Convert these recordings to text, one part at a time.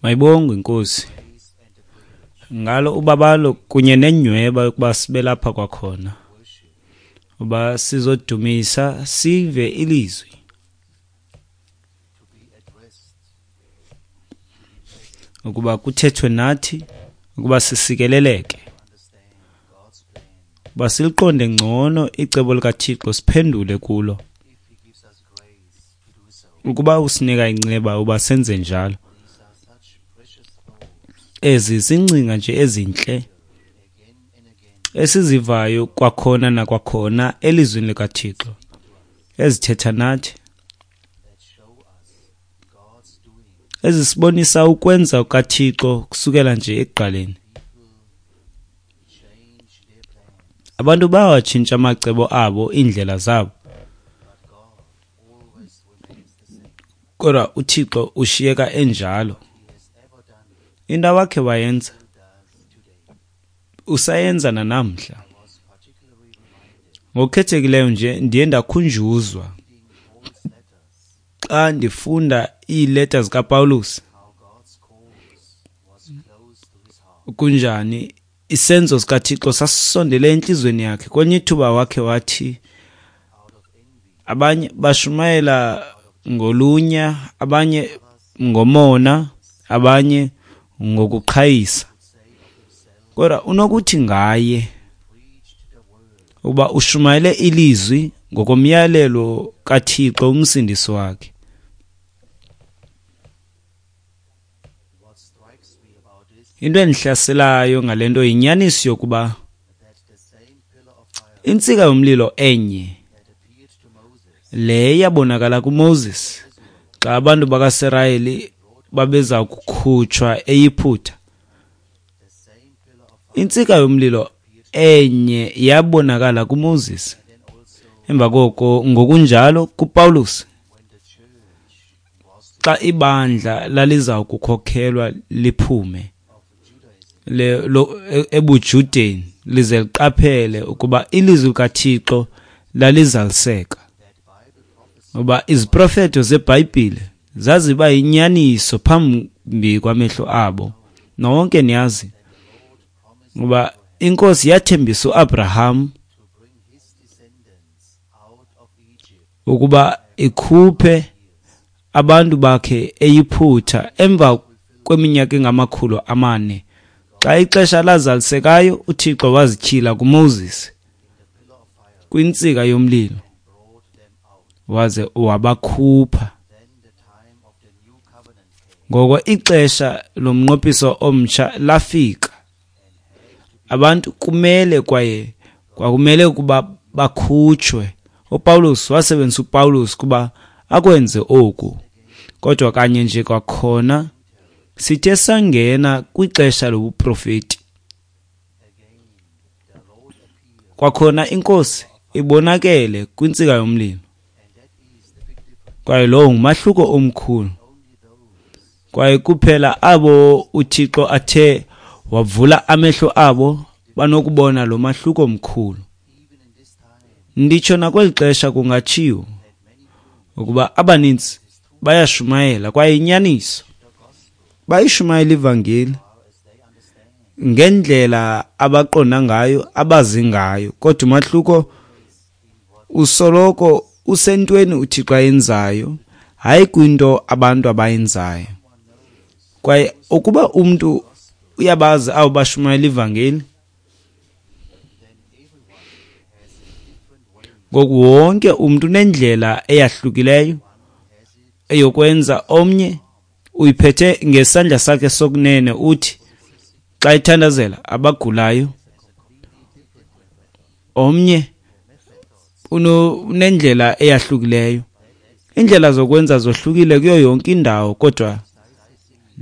Mayibongwe iNkosi ngalo ubabalo kunye nenyhweba yokuba sibe lapha kwakhona, uba sizodumisa sive ilizwi, ukuba kuthethwe nathi, ukuba sisikeleleke, uba siliqonde ngcono icebo likaThixo, siphendule kulo. Ukuba usinika inceba uba senze njalo. Ezi zingcinga nje ezintle esizivayo kwakhona nakwakhona elizwini likaThixo, ezithetha nathi, ezisibonisa ukwenza kukaThixo kusukela nje ekuqaleni. Abantu bayawatshintsha amacebo abo, iindlela zabo, kodwa uThixo ushiyeka enjalo. Into awakhe wayenza usayenza nanamhla. Ngokukhethekileyo nje ndiye ndakhunjuzwa xa ndifunda iileta zikaPawulos, kunjani isenzo sikaThixo sasisondele entliziyweni yakhe. Kwenye ithuba wakhe wathi abanye bashumayela ngolunya, abanye ngomona, abanye ngokuqhayisa. Kodwa unokuthi ngaye ukuba ushumayele ilizwi ngokomyalelo kaThixo umsindisi wakhe. Into endihlaselayo ngale nto yinyaniso yokuba intsika yomlilo enye le yabonakala kuMoses xa abantu bakaSirayeli babeza kukhutshwa eYiphutha. Intsika yomlilo enye yabonakala kuMoses, emva koko ngokunjalo kuPawulos xa ibandla laliza kukhokhelwa liphume ebuJudeni lize liqaphele ukuba ilizwi likaThixo lalizaliseka, ngoba iziprofeto zeBhayibhile zaziba yinyaniso phambi kwamehlo abo. Nonke niyazi ngoba iNkosi yathembisa uAbraham ukuba ikhuphe abantu bakhe eYiphutha emva kweminyaka engama-400. Xa ixesha lazalisekayo, uThixo wazityhila kuMoses kwintsika yomlilo waze wabakhupha. Ngoko ixesha lomnqophiso omtsha lafika. Abantu kumele kwaye kwakumele ukuba bakhutshwe. uPawulos wasebenzisa uPawulos kuba akwenze oku. Kodwa kanye nje kwakhona sithe sangena kwixesha lobuprofeti. Kwakhona iNkosi ibonakele kwintsika yomlilo. Kwaye lowo ngumahluko omkhulu. Kwaye kuphela abo uThixo athe wavula amehlo abo banokubona lo mahluko mkhulu. Nditsho nakweli xesha kungatshiwo ukuba abaninzi bayashumayela kwaye inyaniso bayishumayela ivangeli ngendlela abaqonda ngayo, abazi ngayo, kodwa umahluko usoloko usentweni uThixo ayenzayo, hayi kwinto abantu abayenzayo. Kwaye ukuba umntu uyabazi abo bashumayela ivangeli, ngoku wonke umntu unendlela eyahlukileyo eyokwenza. Omnye uyiphethe ngesandla sakhe sokunene, uthi xa ethandazela abagulayo. Omnye unendlela eyahlukileyo. Iindlela zokwenza zohlukile kuyo yonke indawo, kodwa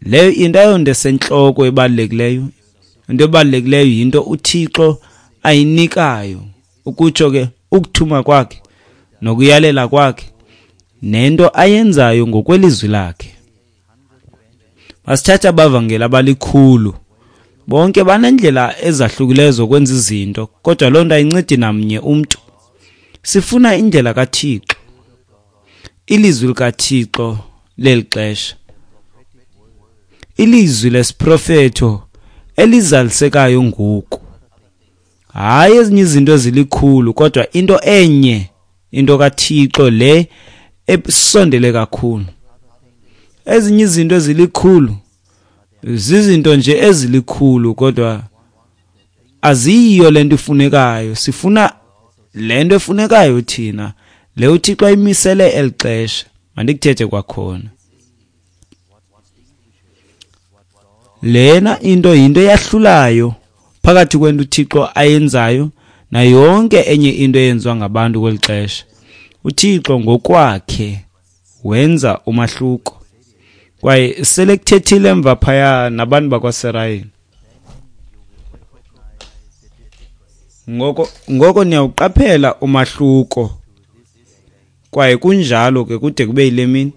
leyo into ayonto esentloko ebalulekileyo. Into ebalulekileyo yinto uThixo ayinikayo, ukutsho ke ukuthuma kwakhe nokuyalela kwakhe nento ayenzayo ngokwelizwi lakhe. Masithathe abavangeli abalikhulu, bonke banendlela ezahlukileyo zokwenza izinto, kodwa loo nto ayincedi namnye umntu. Sifuna indlela kaThixo, ilizwi likaThixo leli xesha, ilizwi lesiprofeto elizalisekayo ngoku. Hayi ezinye izinto ezilikhulu, kodwa into enye, into kaThixo le esondele kakhulu. Ezinye izinto ezilikhulu zizinto nje ezilikhulu, kodwa aziyiyo lento ifunekayo. Sifuna lento efunekayo thina, le uThixo ayimisele elixesha. Mandikuthethe kwakhona. Lena into yinto eyahlulayo phakathi kwento uThixo ayenzayo na yonke enye into eyenziwa ngabantu kweli xesha. uThixo ngokwakhe wenza umahluko, kwaye sele kuthethile emva phaya nabantu bakwaSirayeli. Ngoko niyawuqaphela umahluko, kwaye kunjalo ke kude kube yile mini.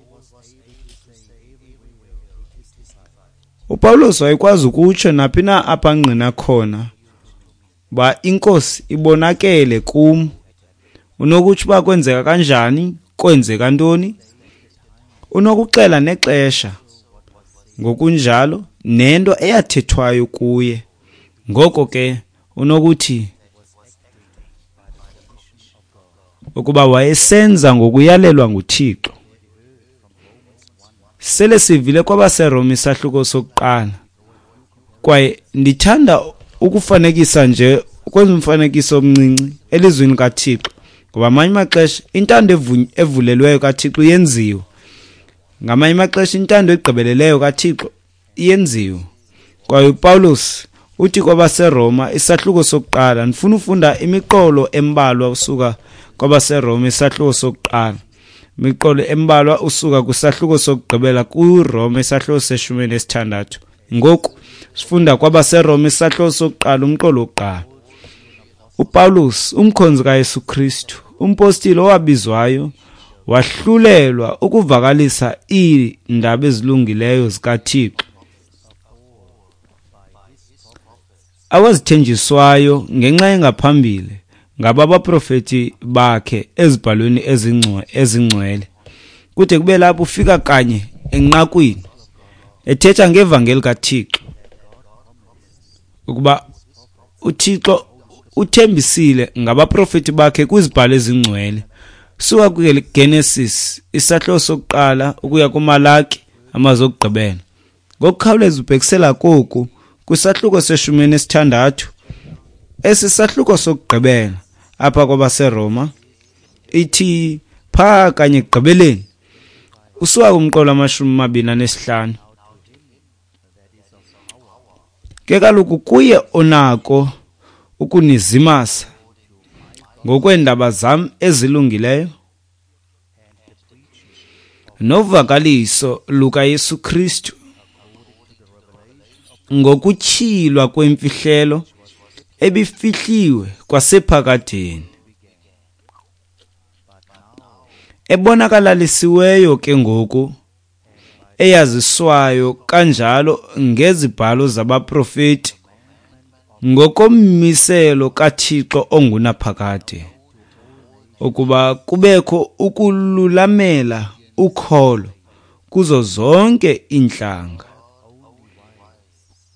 uPawulos wayekwazi ukutsho naphi na apha angqina khona uba iNkosi ibonakele kum. Unokutsho uba kwenzeka kanjani, kwenzeka ntoni, unokuxela nexesha ngokunjalo nento eyathethwayo kuye. Ngoko ke unokuthi ukuba wayesenza ngokuyalelwa nguThixo. Sele sivile kwabaseRoma isahluko sokuqala, kwaye ndithanda ukufanekisa nje, ukwenza umfanekiso omncinci elizwini kaThixo, ngoba amanye amaxesha intando evulelweyo kaThixo iyenziwa, ngamanye amaxesha intando egqibeleleyo kaThixo iyenziwa. Kwaye uPawulos uthi kwabaseRoma isahluko sokuqala, ndifuna ufunda imiqolo embalwa usuka kwabaseRoma isahluko sokuqala, imiqolo embalwa usuka kwisahluko sokugqibela kuRoma isahluko se-16. Ngoku sifunda kwabaseRoma isahluko sokuqala, umqolo wokuqala. uPawulos, umkhonzi kaYesu Kristu, umpostile owabizwayo, wahlulelwa ukuvakalisa iindaba ezilungileyo zikaThixo awazithenjiswayo ngenxa engaphambili ngaba baprofeti bakhe ezibhalweni ezingcwele. Kude kube lapho ufika kanye enqakwini ethetha ngevangeli kaThixo, ukuba uThixo uthembisile ngabaprofeti bakhe kwizibhalo ezingcwele, suka kwiGenesis isahluko sokuqala ukuya kuMalaki amazwi okugqibela. Ngokukhawuleza ubhekisela koku kwisahluko se-16, esi sahluko sokugqibela apha kwabaseRoma, ithi phaa kanye ekugqibeleni usuka kumqolo 25. Ke kaloku kuye onako ukunizimasa ngokweendaba zam ezilungileyo novakaliso lukaYesu Kristu, ngokutyhilwa kwemfihlelo ebifihliwe kwasephakadeni, ebonakalalisiweyo ke ngoku, eyaziswayo kanjalo ngezibhalo zabaprofeti ngokommiselo kaThixo ongunaphakade, ukuba kubekho ukululamela ukholo kuzo zonke iintlanga.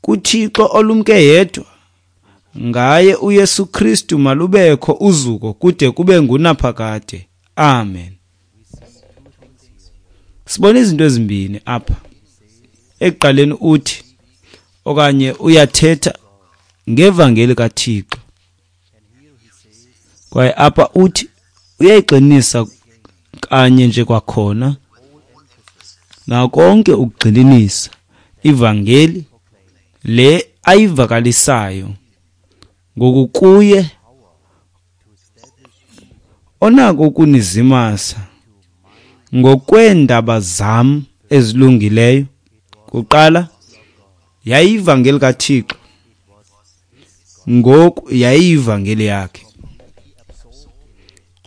KuThixo olumke yedwa, ngaye uYesu Kristu malubekho uzuko kude kube ngunaphakade. Amen. Sibona izinto ezimbini apha. Ekuqaleni uthi okanye uyathetha ngevangeli kaThixo, kwaye apha uthi uyayigxinisa kanye nje kwakhona nakonke ukugxininisa ivangeli le ayivakalisayo ngokukuye onako ukunizimasa ngokweendaba zam ezilungileyo. Kuqala yayivangeli kaThixo, ngoku yayivangeli yakhe.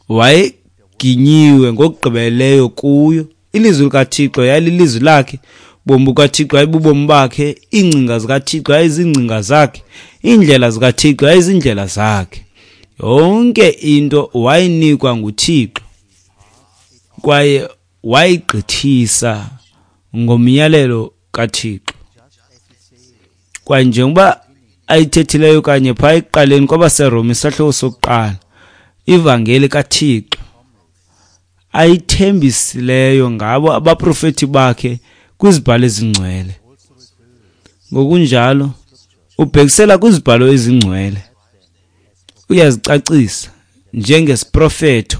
Wayeginyiwe ngokugqibeleleyo kuyo. Ilizwi likaThixo yayililizwi lakhe, bomi bukaThixo yayibubomi bakhe, iingcinga zikaThixo yayizingcinga zakhe, iindlela zikaThixo yayizindlela zakhe. Yonke into wayinikwa nguThixo kwaye wayigqithisa ngomyalelo kaThixo. Kwaye njengoba ayithethileyo kanye phaa ekuqaleni kwabaseRoma isahluko sokuqala, ivangeli kaThixo ayithembisileyo ngabo abaprofeti bakhe kwizibhalo ezingcwele. Ngokunjalo ubhekisela kwizibhalo ezingcwele, uyazicacisa njengesiprofeto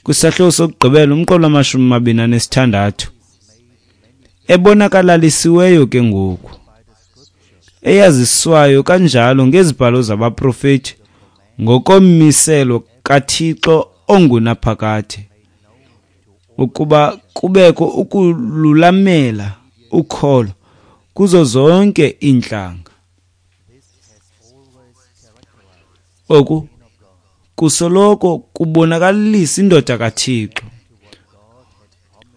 kwisahluko sokugqibela umqolo wama-26, ebonakalalisiweyo ke ngoku, eyaziswayo kanjalo ngezibhalo zabaprofeti ngokommiselo kaThixo ongunaphakade, ukuba kubekho ukululamela ukholo kuzo zonke iintlanga. Oku kusoloko kubonakalisa indoda kaThixo.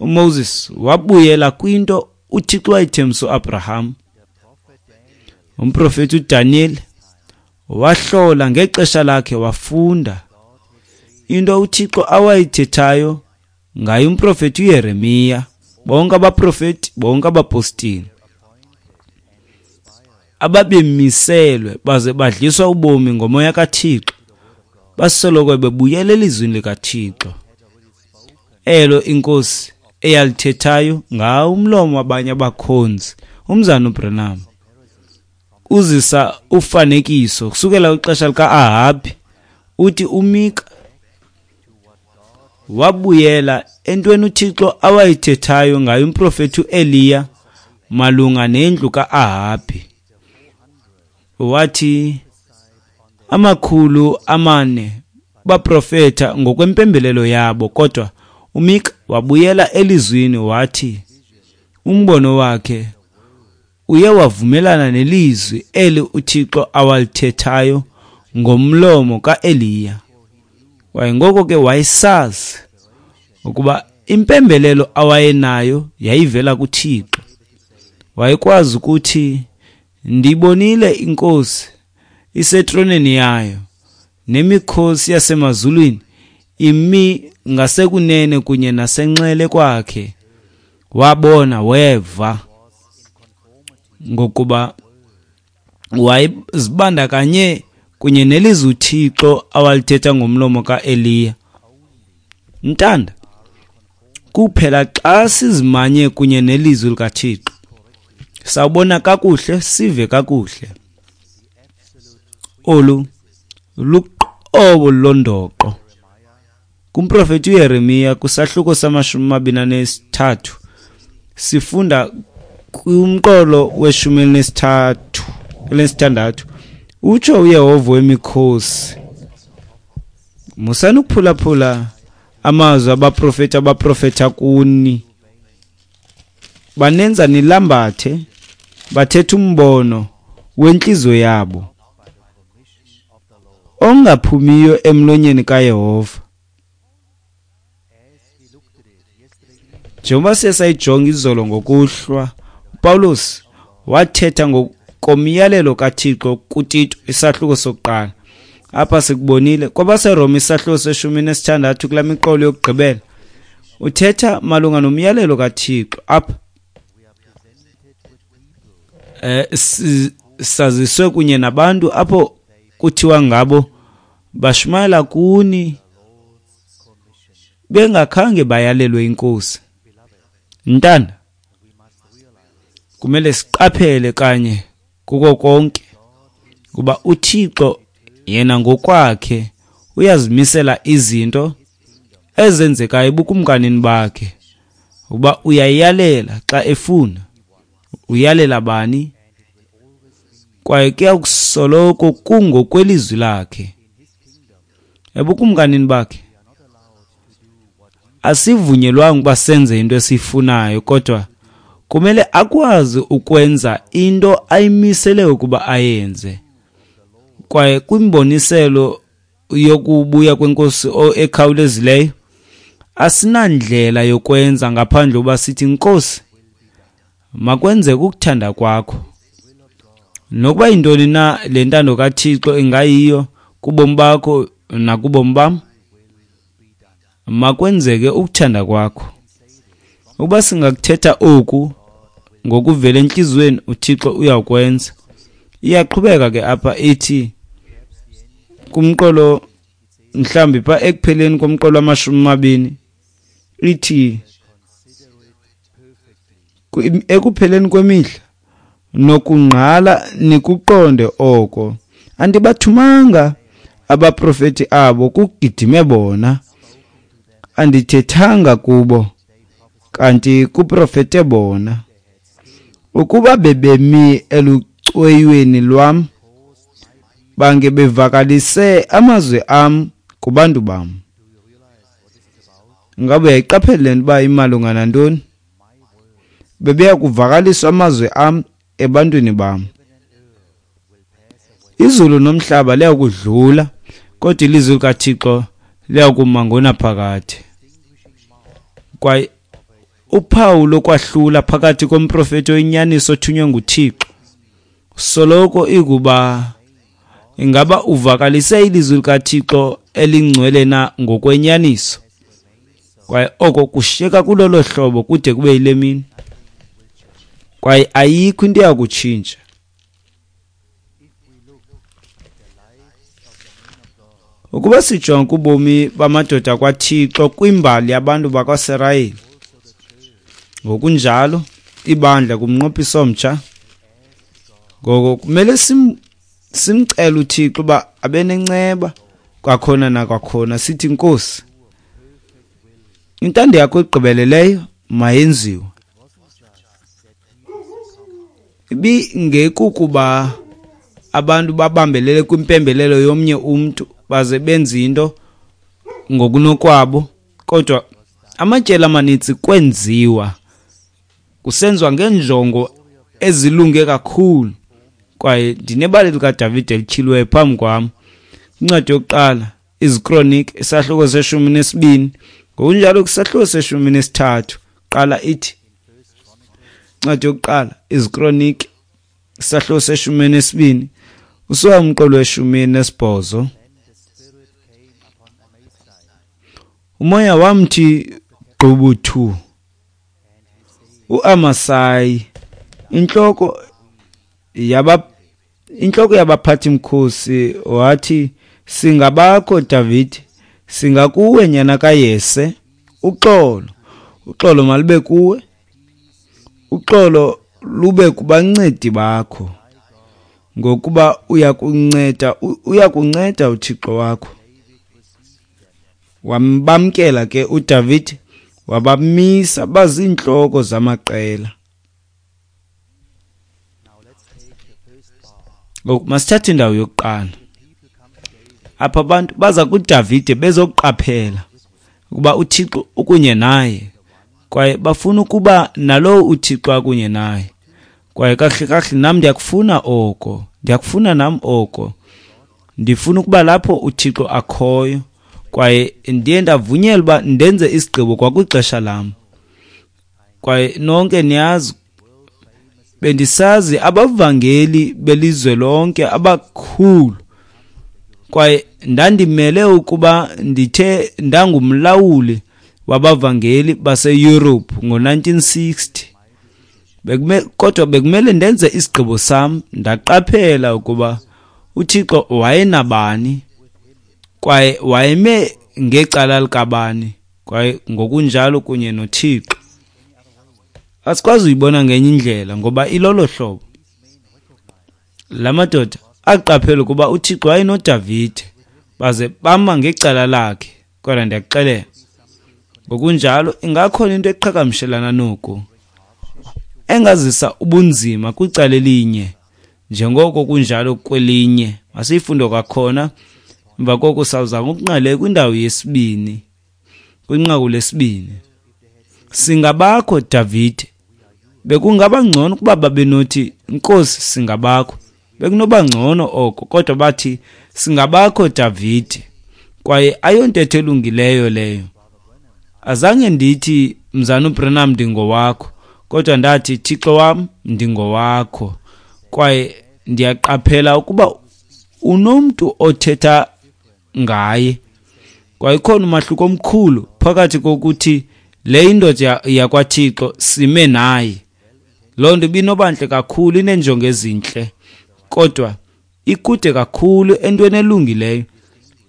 uMoses wabuyela kwinto uThixo wayithembisa uAbraham. Umprofeti uDaniel wahlola ngexesha lakhe, wafunda into uThixo awayithethayo ngaye umprofeti uYeremiya, bonke abaprofeti, bonke abapostile ababemiselwe baze badliswa ubomi ngomoya kaThixo, basoloko bebuyela elizwini likaThixo elo inkosi eyalithethayo ngawo umlomo wabanye abakhonzi. Umzana uBranham uzisa ufanekiso kusukela kwixesha lika-Ahabi, uthi uMika wabuyela entweni uThixo awayithethayo ngayo umprofeti uEliya malunga nendlu ka-Ahabi. Wathi 400 baprofeta ngokwempembelelo yabo, kodwa uMika wabuyela elizwini, wathi umbono wakhe uye wavumelana nelizwi eli uThixo awalithethayo ngomlomo kaEliya. Kwaye ngoko ke wayesazi ukuba impembelelo awayenayo yayivela kuThixo. Wayekwazi ukuthi, ndibonile inkosi isetroneni yayo nemikhosi yasemazulwini imi ngasekunene kunye nasenxele kwakhe. Wabona, weva, ngokuba wayezibandakanye kunye nelizwi uThixo awalithetha ngomlomo kaEliya. Ntanda, kuphela xa sizimanye kunye nelizwi likaThixo sawubona kakuhle, sive kakuhle. Olu luqobo londoqo. Kumprofeti uYeremiya kwisahluko sama-23 sifunda kumqolo we-36, utsho uYehova wemikhosi, musani ukuphulaphula amazwi abaprofeti abaprofetha kuni, banenza nilambathe, bathetha umbono wentliziyo yabo ongaphumiyo emlonyeni kaYehova. Njengoba siye sayijonga izolo ngokuhlwa, uPawulos wathetha ngokomyalelo kaThixo kuTito isahluko sokuqala. Apha sikubonile kwabaseRoma isahluko se-16 kula miqolo yokugqibela, uthetha malunga nomyalelo kaThixo. Apha saziswe kunye nabantu apho kuthiwa ngabo bashumayela kuni bengakhange bayalelwe inkosi. Ntanda, kumele siqaphele kanye kuko konke, kuba uThixo yena ngokwakhe uyazimisela izinto ezenzekayo ebukumkanini bakhe, uba uyayalela xa efuna. Uyalela bani? Kwaye kuyakusoloko kungokwelizwi lakhe. Ebukumkanini bakhe asivunyelwanga ukuba senze into esiyifunayo, kodwa kumele akwazi ukwenza into ayimisele ukuba ayenze. Kwaye kwimboniselo yokubuya kwenkosi ekhawulezileyo asinandlela yokwenza ngaphandle uba sithi, Nkosi, makwenzeke ukuthanda kwakho. Nokuba yintoni na le ntando kaThixo ingayiyo kubomi bakho nakubomi bam, makwenzeke ukuthanda kwakho. Ukuba singakuthetha oku ngokuvela entliziyweni, uThixo uyakwenza. Iyaqhubeka ke apha ithi kumqolo mhlambi pha ekupheleni komqolo wama-20 ithi ekupheleni kwemihla nokungqala nikuqonde oko, andibathumanga abaprofeti abo kugidime bona, andithethanga kubo kanti kuprofete bona. Ukuba bebemi elucweyweni lwam, bange bevakalise amazwi am kubantu bam. Ngabe uyayiqaphela le nto uba imalunga nantoni? Bebeya kuvakaliswa amazwi am ebantwini bam. Izulu nomhlaba liyakudlula, kodwa ilizwi likaThixo liyakuma ngonaphakade. Kwaye uphawu lokwahlula phakathi komprofeti oyinyaniso othunywe nguThixo soloko ikuba ingaba uvakalise ilizwi likaThixo elingcwele na ngokwenyaniso. Kwaye oko kushiyeka kulolo hlobo kude kube yile mini. Kwaye ayikho into eyakutshintsha. Ukuba sijonga kubomi bamadoda kwaThixo kwimbali yabantu bakwaSirayeli, ngokunjalo ibandla kumnqophiso omtsha, ngoko kumele simcele uThixo uba abe nenceba kwakhona nakwakhona, sithi Nkosi, intando yakho egqibeleleyo mayenziwe. Ibingekukuba abantu babambelele kwimpembelelo yomnye umntu baze benze into ngokunokwabo, kodwa amatyeli amaninzi kwenziwa kusenziwa ngeenjongo ezilunge kakhulu. Kwaye ndinebali likaDavide elityhiliweyo phambi kwam, incwadi yokuqala iziKronike, isahluko se-12, ngokunjalo kwisahluko se-13. Qala ithi incwadi yokuqala iziKronike, isahluko se-12, usuka umqolo we-18. Umoya wamthi gqubuthu uAmasayi, intloko yabaphathi-mkhosi, wathi, singabakho David, singakuwe nyana kaYese. Uxolo, uxolo malube kuwe, uxolo lube kubancedi bakho, ngokuba uyakunceda uThixo wakho. Wambamkela ke uDavid, wabamisa baziintloko zamaqela. Ngoku masithathe indawo yokuqala. Apha abantu baza kuDavide bezoqaphela ukuba uThixo ukunye naye, kwaye bafuna ukuba nalowo uThixo akunye naye. Kwaye kahle kahle nam ndiyakufuna oko, ndiyakufuna nam oko. Ndifuna ukuba lapho uThixo akhoyo, kwaye ndiye ndavunyelwa uba ndenze isigqibo kwakwixesha lam. Kwaye nonke niyazi, bendisazi abavangeli belizwe lonke abakhulu, kwaye ndandimele ukuba ndithe ndangumlawuli wabavangeli baseYurophu ngo-1960. Kodwa bekumele ndenze isigqibo sam. Ndaqaphela ukuba uThixo wayenabani, kwaye wayeme ngecala likabani, kwaye ngokunjalo kunye noThixo. Asikwazi uyibona ngenye indlela ngoba ilolo hlobo. La madoda aqaphela ukuba uThixo wayenoDavide, baze bama ngecala lakhe. Kodwa ndiyakuxelela, ngokunjalo ingakhona into eqhagamshelana noku, engazisa ubunzima kwicala elinye njengoko kunjalo kwelinye. Masiyifunde kwakhona, emva koko sawuza ngokunqale kwindawo yesibini, kwinqaku lesibini. Singabakho Davide. Bekungaba ngcono ukuba babenothi Nkosi singabakho, bekunoba ngcono oko, kodwa bathi singabakho Davide. Kwaye ayontetho elungileyo leyo. Azange ndithi Mzana uBranham ndingowakho, kodwa ndathi Thixo wam ndingowakho. Kwaye ndiyaqaphela ukuba unomntu othetha ngaye. Kwaye khona umahluko omkhulu phakathi kokuthi le indoda yakwaThixo sime naye. Loo nto ibinobantle kakhulu, ineenjongo ezintle, kodwa ikude kakhulu entweni elungileyo.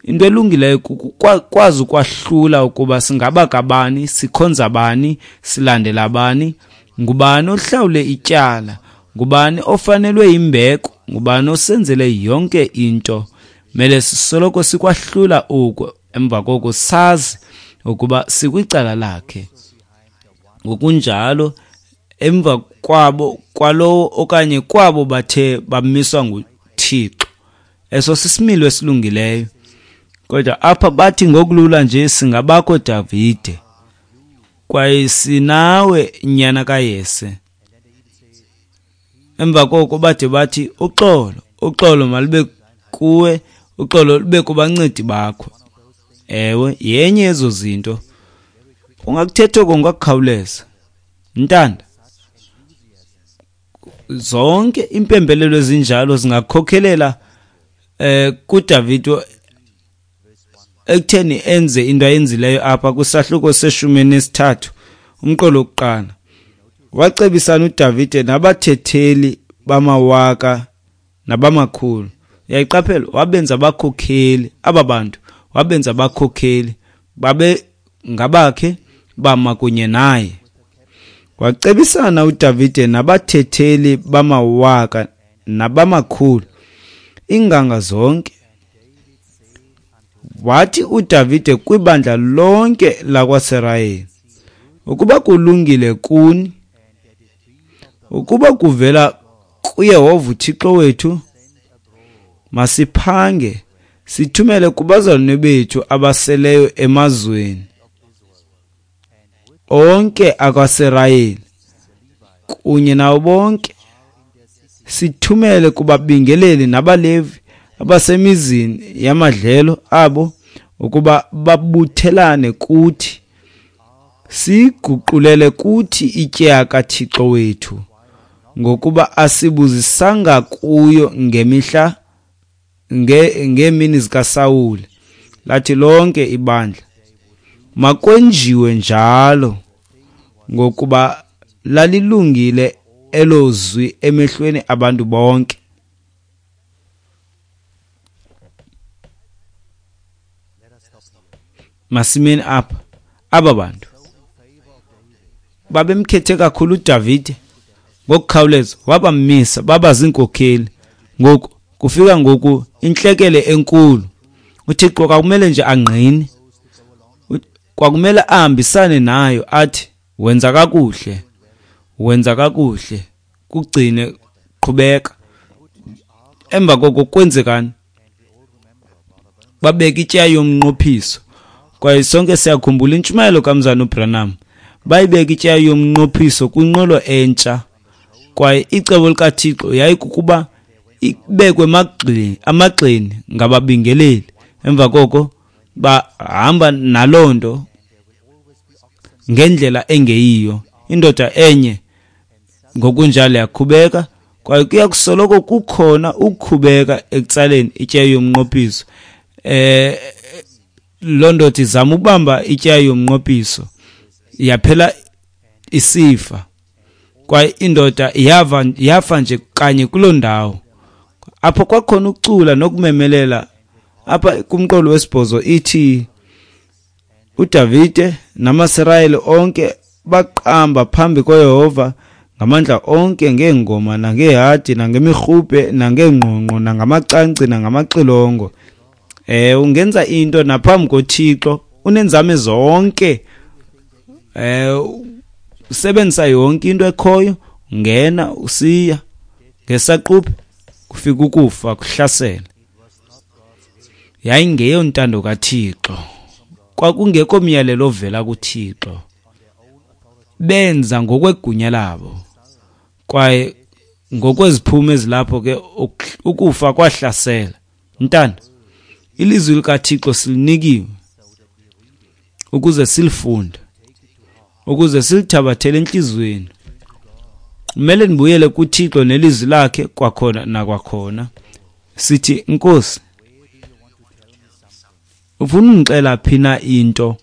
Into elungileyo kukwazi ukwahlula ukuba singaba kabani, sikhonza bani, silandela bani, ngubani ohlawule ityala, ngubani ofanelwe imbeko, ngubani osenzele yonke into. Mele sisoloko sikwahlula oku, emva koko sazi ukuba sikwicala lakhe. Ngokunjalo emva kwabo kwalowo okanye kwabo bathe bamiswa nguThixo. Eso sisimilo esilungileyo. Kodwa apha bathi ngokulula nje singabakho Davide, kwaye sinawe nyana kaYese. Emva koko bade bathi uxolo, uxolo malube kuwe, uxolo lube kubancedi bakho. Ewe, yenye yezo zinto. Ungakuthetha oko ngokukhawuleza. Ntanda, zonke impembelelo ezinjalo zingakhokhelela kuDavide ekutheni enze into ayenzileyo apha kwisahluko se-13 umqolo wokuqala. Wacebisana uDavide nabathetheli bamawaka nabamakhulu. Uyayiqaphela, wabenza abakhokheli aba bantu, wabenza abakhokheli babe ngabakhe, bama kunye naye. Wacebisana uDavide nabathetheli bamawaka nabamakhulu, iinganga zonke. Wathi uDavide kwibandla lonke lakwaSirayeli, ukuba kulungile kuni, ukuba kuvela kuYehova uThixo wethu, masiphange sithumele kubazalwane bethu abaseleyo emazweni onke akwaSirayeli kunye nawo bonke, sithumele kubabingeleli nabaLevi abasemizini yamadlelo abo ukuba babuthelane kuthi, siguqulele kuthi ityeya kaThixo wethu, ngokuba asibuzisanga kuyo ngemihla ngeemini zikaSawule. Lathi lonke ibandla, makwenjiwe njalo, ngokuba lalilungile elo zwi emehlweni abantu bonke. Masimeni apha, aba bantu babemkhethe kakhulu uDavide, ngokukhawuleza wabamisa baba ziinkokheli. Ngoku kufika ngoku intlekele enkulu. uThixo kwakumele nje angqine, kwakumele ahambisane nayo, athi wenza kakuhle, wenza kakuhle, kugcine, qhubeka. Emva koko kwenzekani? Babeka ityeya yomnqophiso. Kwaye sonke siyakhumbula intshumayelo kaMzana uBranham. Bayibeka ityeya yomnqophiso kwinqwelo entsha. Kwaye icebo likaThixo yayikukuba ibekwe amagxeni ngababingeleli. Emva koko bahamba naloo nto ngendlela engeyiyo. Indoda enye ngokunjalo yakhubeka, kwaye kuya kusoloko kukhona ukukhubeka ekutsaleni ityeya yomnqophiso. Loo ndoda izama ukubamba ityeya yomnqophiso, yaphela isifa. Kwaye indoda yafa nje kanye kuloo ndawo. Apho kwakhona ukucula nokumemelela. Apha kumqolo wesibhozo ithi uDavide namaSirayeli onke baqamba phambi koYehova ngamandla onke, ngeengoma nangeehadi nangemirhubhe nangeengqongqo nangamacangci nangamaxilongo. Ungenza into naphambi koThixo unenzame zonke, usebenzisa yonke into ekhoyo, ungena usiya ngesaquphe kufika ukufa kuhlasele. Yayingeyontando kaThixo, kwakungekho myalelo ovela kuThixo. Benza ngokwegunya labo, kwaye ngokweziphumo ezilapho ke ukufa kwahlasela. Ntanda, ilizwi likaThixo silinikiwe ukuze silifunde, ukuze silithabathele entliziyweni. Kumele nibuyele kuThixo nelizwi lakhe kwakhona nakwakhona. Sithi, Nkosi, ufuna ungixela phi na into?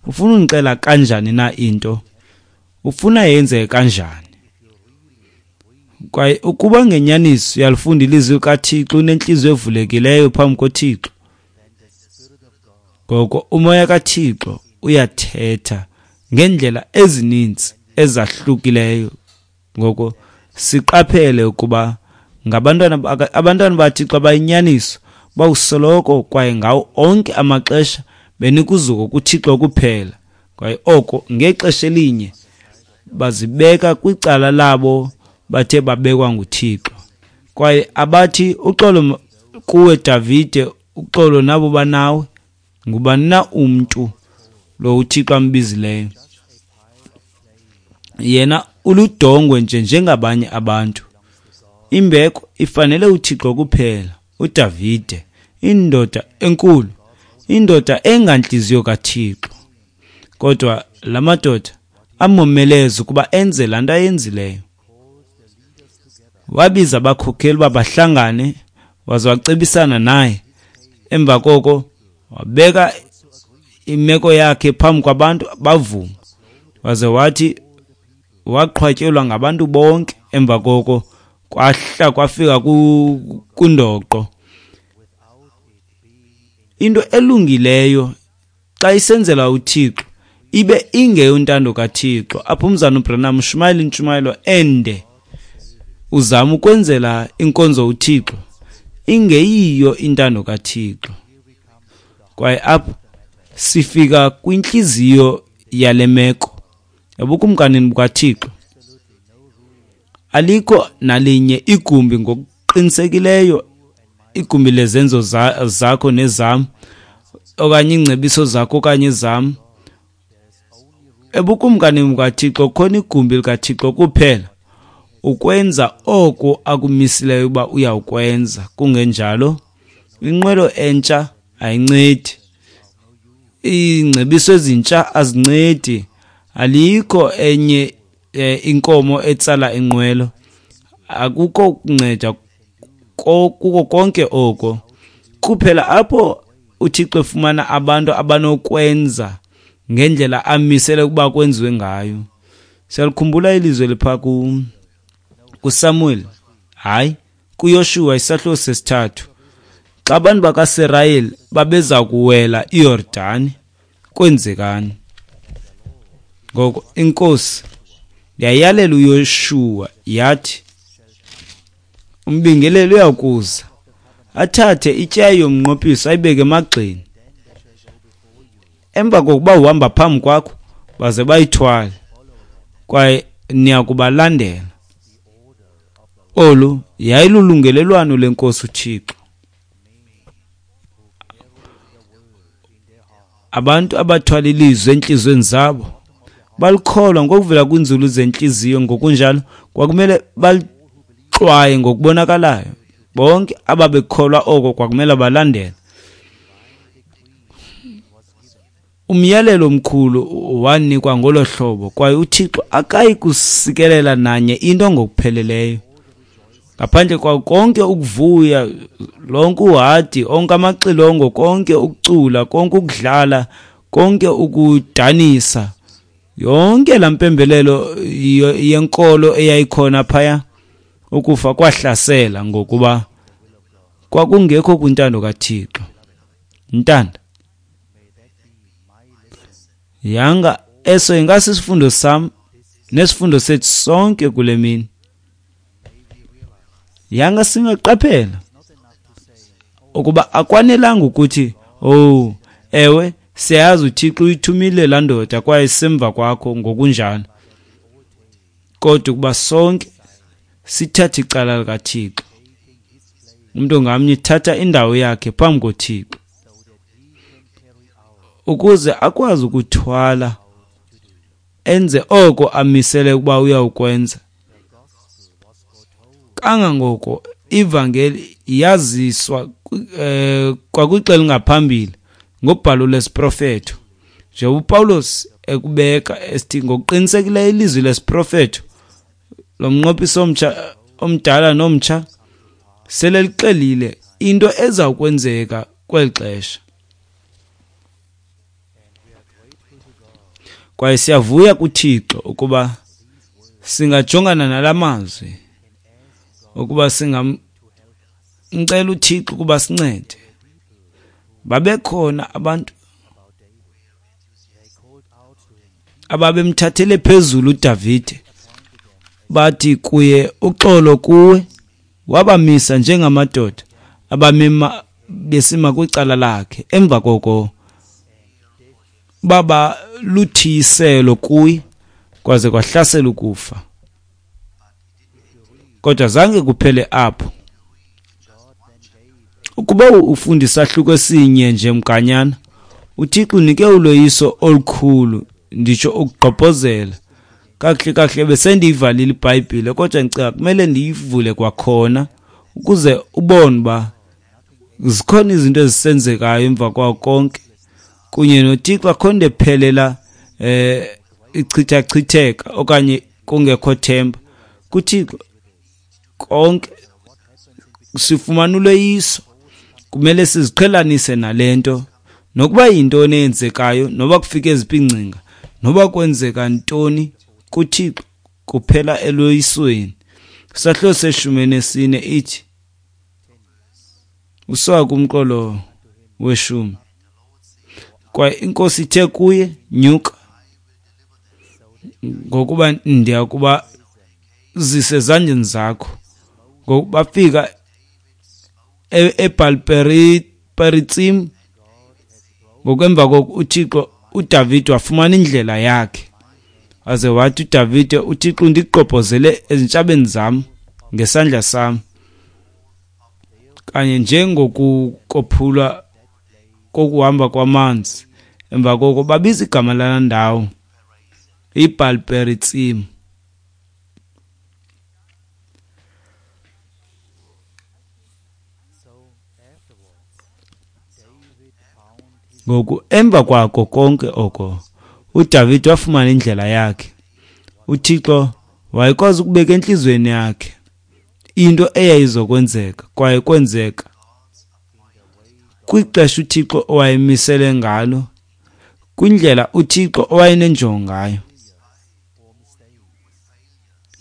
Ufuna ungixela kanjani na into? Ufuna yenzeke kanjani? Kwaye ukuba ngenyaniso uyalifunda ilizwi likaThixo, unentliziyo evulekileyo phambi koThixo, ngoko uMoya kaThixo uyathetha ngeendlela ezininzi ezahlukileyo. Ngoko siqaphele ukuba ngabantwana abantwana baThixo abayinyaniso bawusoloko kwaye ngawo onke amaxesha benikuzuko kuThixo kuphela, kwaye oko ngexesha elinye bazibeka kwicala labo bathe babekwa nguThixo. Kwaye abathi uxolo kuwe Davide, uxolo nabo banawe, ngubani na umntu lo uThixo ambizileyo? Yena uludongwe nje njengabanye abantu. Imbeko ifanele uThixo kuphela. uDavide, indoda enkulu, indoda engantliziyo kaThixo. Kodwa la madoda amomeleza ukuba enze laa nto ayenzileyo. Wabiza abakhokeli uba bahlangane, waze wacebisana naye. Emva koko wabeka imeko yakhe phambi kwabantu, bavuma. Waze wathi waqhwatyelwa ngabantu bonke. Emva koko kwahla kwafika kundoqo. Into elungileyo xa isenzela uThixo ibe ingeyontando kaThixo. Apho umzana uBranham ushumayela intshumayelo ende, uzama ukwenzela inkonzo uThixo ingeyiyo intando kaThixo. Kwaye apho sifika kwintliziyo yale meko ebukumkanini bukaThixo. Alikho nalinye igumbi ngokuqinisekileyo, igumbi lezenzo zakho nezam, okanye iingcebiso zakho okanye zam. Ebukumkanini bukaThixo khona igumbi likaThixo kuphela, ukwenza oko akumisileyo uba uyawukwenza. Kungenjalo inqwelo entsha ayincedi, iingcebiso ezintsha azincedi. Alikho enye inkomo etsala inqwelo, akukho kunceda kuko konke oko. Kuphela apho uThixo efumana abantu abanokwenza ngendlela amisele ukuba kwenziwe ngayo. Siyalikhumbula ilizwi elipha kuSamuel, hayi, kuYoshuwa isahluko sesithathu, xa abantu bakaSirayeli babeza kuwela iYordani, kwenzekani? Ngoko inkosi yayalela uYoshuwa yathi, umbingeleli uyakuza athathe ityeya yomnqophiso ayibeke emagxeni. Emva kokuba uhamba phambi kwakho, baze bayithwale, kwaye niya kubalandela. Olu yayilulungelelwano lenkosi uThixo. Abantu abathwala ilizwi entliziyweni zabo balikholwa ngokuvela kwinzulu zentliziyo, ngokunjalo kwakumele balixwaye ngokubonakalayo. Bonke ababekholwa oko kwakumele balandele. Umyalelo omkhulu wanikwa ngolo hlobo, kwaye uThixo akayi kusikelela nanye into ngokupheleleyo ngaphandle kwa konke ukuvuya, lonke uhadi, onke amaxilongo, konke ukucula, konke ukudlala, konke ukudanisa, yonke laa mpembelelo yenkolo eyayikhona phaya. Ukufa kwahlasela ngokuba kwakungekho kwintando kaThixo. Ntanda yanga eso ingasisifundo sam nesifundo sethu sonke kule mini. Yanga singaqaphela ukuba akwanelanga ukuthi oh ewe siyazi uThixo uyithumile laa ndoda kwaye semva kwakho ngokunjalo, kodwa ukuba sonke sithathe icala likaThixo, umntu ngamnye thatha indawo yakhe phambi koThixo ukuze akwazi ukuthwala enze oko amisele ukuba uyawukwenza. Kangangoko ivangeli yaziswa kwakwixela ngaphambili ngobhalo lesiprofeto, nje uPawulos ekubeka esithi ngokuqinisekileyo ilizwi lesiprofeto lomnqophiso omtsha omdala nomtsha sele lixelile into eza kwenzeka kweli xesha. Kwaye siyavuya kuThixo ukuba singajongana nalamazwi Ukuba singamcela uThixo ukuba sincede. Babekhona abantu ababemthathele phezulu uDavide, bathi kuye, uxolo kuwe. Wabamisa njengamadoda abamema besima kwicala lakhe. Emva koko baba luthiyiselo kuye, kwaze kwahlasela ukufa. Kodwa zange kuphele apho. Ukuba ufunda isahluko esinye nje mganyana, uThixo unike uloyiso olukhulu, nditsho ukugqobhozela. Kakuhle kakuhle besendiyivalile iBhayibhile, kodwa ndicinga kumele ndiyivule kwakhona ukuze ubone uba zikhona izinto ezisenzekayo emva kwawo konke. Kunye noThixo akho nto ephelela ichithachitheka okanye kungekho themba. KuThixo konke sifumana uloyiso. Kumele siziqhelanise nale nto, nokuba yintoni eyenzekayo, noba kufike eziphi iingcinga, noba kwenzeka ntoni, kuThixo kuphela eloyisweni. Isahluko se-14 ithi, usuka kumqolo we-10, kwaye iNkosi ithe kuye, nyuka, ngokuba ndiya kuba zise ezandleni zakho. Ngoku bafika eBhalperitsim. Ngokwemva koko uThixo uDavide wafumana indlela yakhe, waze wathi uDavide, uThixo undigqobhozele ezintshabeni zam ngesandla sam, kanye njengokukophulwa kokuhamba kwamanzi. Emva koko babiza igama lala ndawo iBhalperitsim. Ngoku emva kwako konke oko, uDavide wafumana indlela yakhe. uThixo wayekwazi ukubeka entliziyweni yakhe into eyayizokwenzeka, kwaye kwenzeka kwixesha uThixo owayemisele ngalo, kwindlela uThixo owayenenjongo ngayo.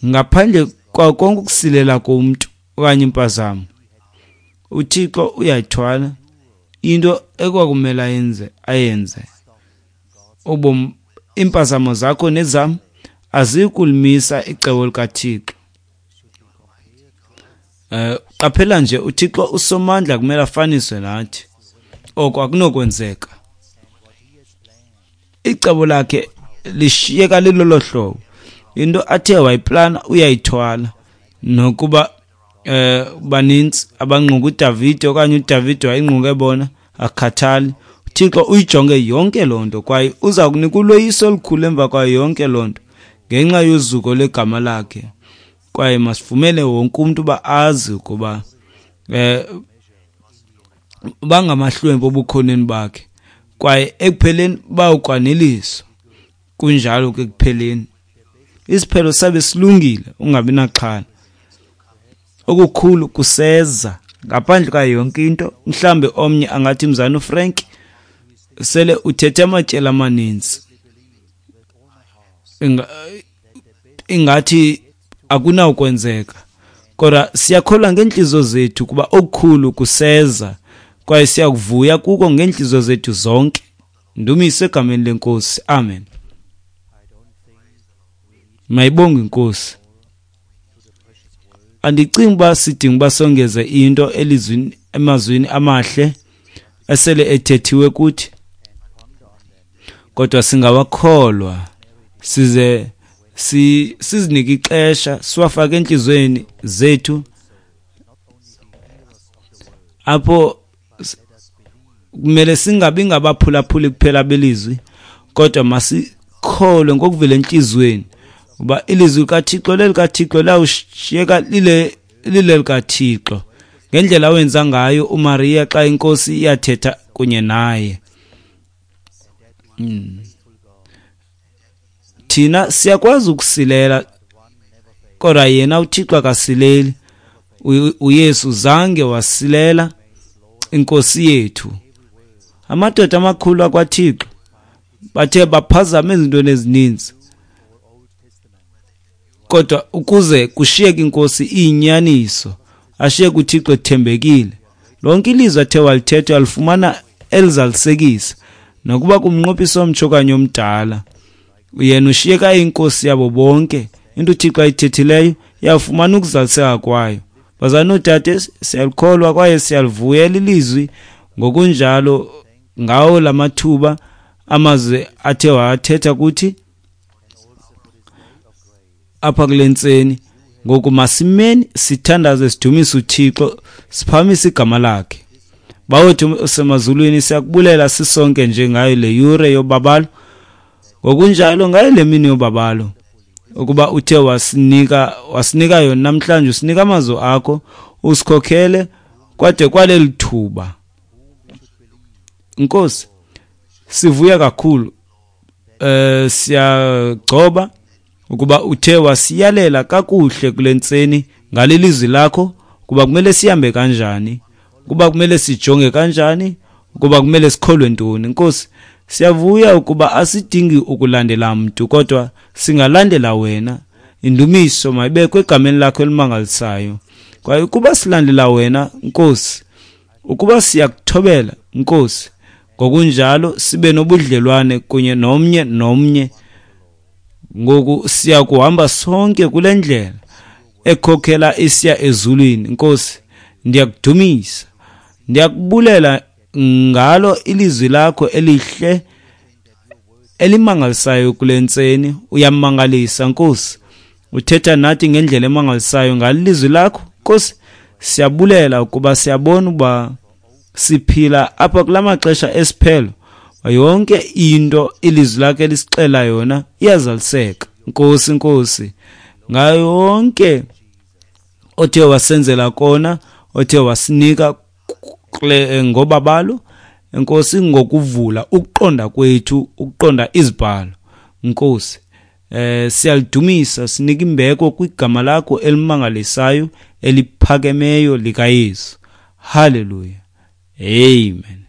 Ngaphandle kwa konke ukusilela komntu okanye impazamo, uThixo uyayithwala into ekwakumele ayenze. Ubomi, iimpazamo zakho nezam azikulimisa icebo likaThixo. Qaphela nje, uThixo usomandla kumele afaniswe nathi. Oko akunokwenzeka. Icebo lakhe lishiyeka lilolo hlobo. Into athe wayiplana uyayithwala. Nokuba baninzi abangqunga uDavide okanye uDavide wayingqunge bona, akhathali. uThixo uyijonge yonke loo nto, kwaye uza kunika uloyiso olukhulu emva kwayo yonke loo nto ngenxa yozuko lwegama lakhe. Kwaye masivumele wonke umntu uba azi ukuba bangamahlwempu obukhoneni bakhe, kwaye ekupheleni bawukwaneliswa. Kunjalo ke ekupheleni, isiphelo sabe silungile, ungabi naxhala. Okukhulu kuseza ngaphandle kwayo yonke into. Mhlambe omnye angathi, mzana uFrank, sele uthethe amatyeli amaninzi, ingathi akunawukwenzeka. Kodwa siyakholwa ngeentliziyo zethu kuba okukhulu kuseza, kwaye siyakuvuya kuko ngeentliziyo zethu zonke. Ndumiso egameni leNkosi. Amen. Mayibongwe iNkosi. Andicingi uba sidinga uba songeze into elizwini, emazwini amahle esele ethethiwe kuthi, kodwa singawakholwa size sizinike ixesha, siwafake entliziyweni zethu, apho kumele singabi ngabaphulaphuli kuphela belizwi, kodwa masikholwe ngokuvela entliziyweni uba ilizwi likaThixo lelikaThixo, lawushiyeka lile likaThixo, ngendlela wenza ngayo uMaria xa iNkosi iyathetha kunye naye. Thina siyakwazi ukusilela, kodwa yena uThixo akasileli. uYesu zange wasilela iNkosi yethu. Amadoda amakhulu akwaThixo bathe baphazama ezintweni ezininzi, Kodwa ukuze kushiyeke inkosi iyinyaniso, ashiyeke uThixo ethembekile. Lonke ilizwi athe walithetha alifumana elizalisekisa, nokuba kumnqophiso omtsha okanye omdala. Yena ushiyeka inkosi yabo bonke. Into uThixo ayithethileyo iyafumana ukuzaliseka kwayo. Bazalwane noodade, siyalikholwa kwaye siyalivuyela ilizwi ngokunjalo ngawo lamathuba amazwi athe wathetha kuthi apha kule ntseni. Ngoku masimeni sithandaze, sidumise uThixo, siphakamise igama lakhe. Bawethu osemazulwini, siyakubulela sisonke nje ngayo le yure yobabalo, ngokunjalo ngayo le mini yobabalo, ukuba uthe wasinika yona namhlanje, usinika amazwi akho, usikhokhele kwade kwaleli thuba. Nkosi, sivuya kakhulu, siyagcoba ukuba uthe wasiyalela kakuhle kule ntseni ngalelizwi lakho, kuba kumele sihambe kanjani, kuba kumele sijonge kanjani, ukuba kumele sikholwe ntoni. Nkosi, siyavuya ukuba asidingi ukulandela mntu, kodwa singalandela wena. Indumiso mayibekwe egameni lakho elimangalisayo. Kwaye ukuba silandela wena, Nkosi, ukuba siyakuthobela, Nkosi, ngokunjalo sibe nobudlelwane kunye nomnye nomnye. Ngoku siyakuhamba sonke kule ndlela ekhokhela isiya ezulwini. Nkosi, ndiyakudumisa, ndiyakubulela ngalo ilizwi lakho elihle elimangalisayo kule ntseni. Uyamangalisa, Nkosi, uthetha nathi ngendlela emangalisayo ngalilizwi lakho. Nkosi, siyabulela ukuba siyabona uba siphila apha kula maxesha esiphelo, yonke into ilizwi lakhe elisixela yona iyazaliseka. Nkosi, Nkosi, ngayo yonke othe wasenzela kona, othe wasinika ngobabalo, Nkosi, ngokuvula ukuqonda kwethu, ukuqonda izibhalo. Nkosi, siyalidumisa, sinika imbeko kwigama lakho elimangalisayo eliphakemeyo likaYesu. Hallelujah. Amen.